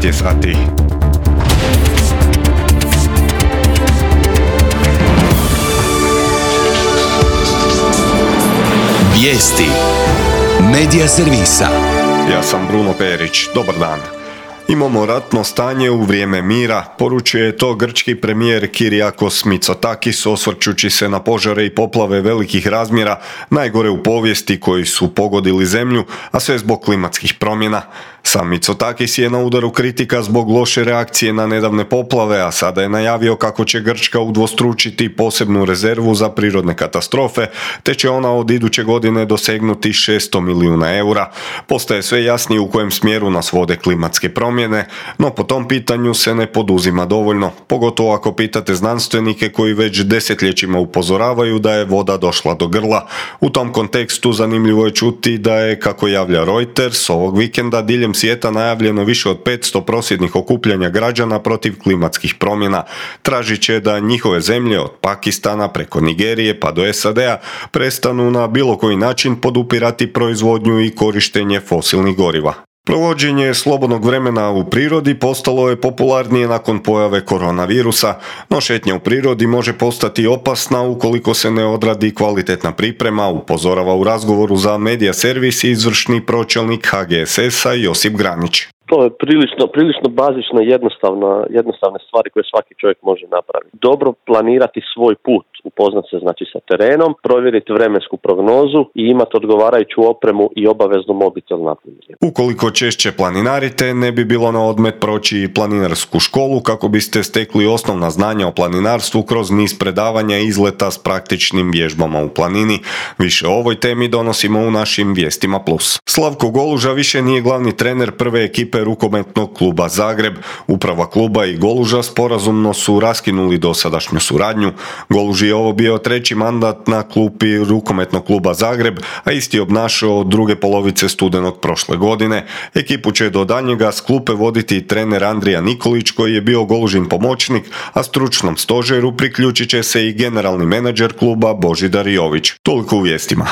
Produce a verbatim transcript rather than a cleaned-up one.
devet je sati. Vijesti Medija servisa. Ja sam Bruno Perić. Dobar dan. Imamo ratno stanje u vrijeme mira, poručuje to grčki premijer Kyriakos Mitsotakis osvrćući se na požare i poplave velikih razmjera, najgore u povijesti koji su pogodili zemlju, a sve zbog klimatskih promjena. Sam Mitsotakis je na udaru kritika zbog loše reakcije na nedavne poplave, a sada je najavio kako će Grčka udvostručiti posebnu rezervu za prirodne katastrofe, te će ona od iduće godine dosegnuti šesto milijuna eura. Postaje sve jasnije u kojem smjeru nas vode klimatske promjene, no po tom pitanju se ne poduzima dovoljno, pogotovo ako pitate znanstvenike koji već desetljećima upozoravaju da je voda došla do grla. U tom kontekstu zanimljivo je čuti da je, kako javlja Reuters, ovog vikenda diljem svijeta najavljeno više od petsto prosvjednih okupljanja građana protiv klimatskih promjena. Tražit će da njihove zemlje od Pakistana preko Nigerije pa do S A D-a prestanu na bilo koji način podupirati proizvodnju i korištenje fosilnih goriva. Provođenje slobodnog vremena u prirodi postalo je popularnije nakon pojave koronavirusa, no šetnja u prirodi može postati opasna ukoliko se ne odradi kvalitetna priprema, upozorava u razgovoru za Medija servis izvršni pročelnik H G S S-a Josip Granić. To je prilično, prilično bazično jednostavna, jednostavne stvari koje svaki čovjek može napraviti. Dobro planirati svoj put, upoznat se znači sa terenom, provjeriti vremensku prognozu i imati odgovarajuću opremu i obavezno mobitel napunjen. Ukoliko češće planinarite, ne bi bilo na odmet proći i planinarsku školu kako biste stekli osnovna znanja o planinarstvu kroz niz predavanja i izleta s praktičnim vježbama u planini. Više o ovoj temi donosimo u našim Vijestima plus. Slavko Goluža više nije glavni trener prve ekipe rukometnog kluba Zagreb. Uprava kluba i Goluža sporazumno su raskinuli dosadašnju suradnju. Goluži je ovo bio treći mandat na klupi rukometnog kluba Zagreb, a isti je obnašao od druge polovice studenog prošle godine. Ekipu će do daljnjega s klupe voditi trener Andrija Nikolić koji je bio Golužin pomoćnik, a stručnom stožeru priključit će se i generalni menadžer kluba Božidar Jović. Toliko u vijestima.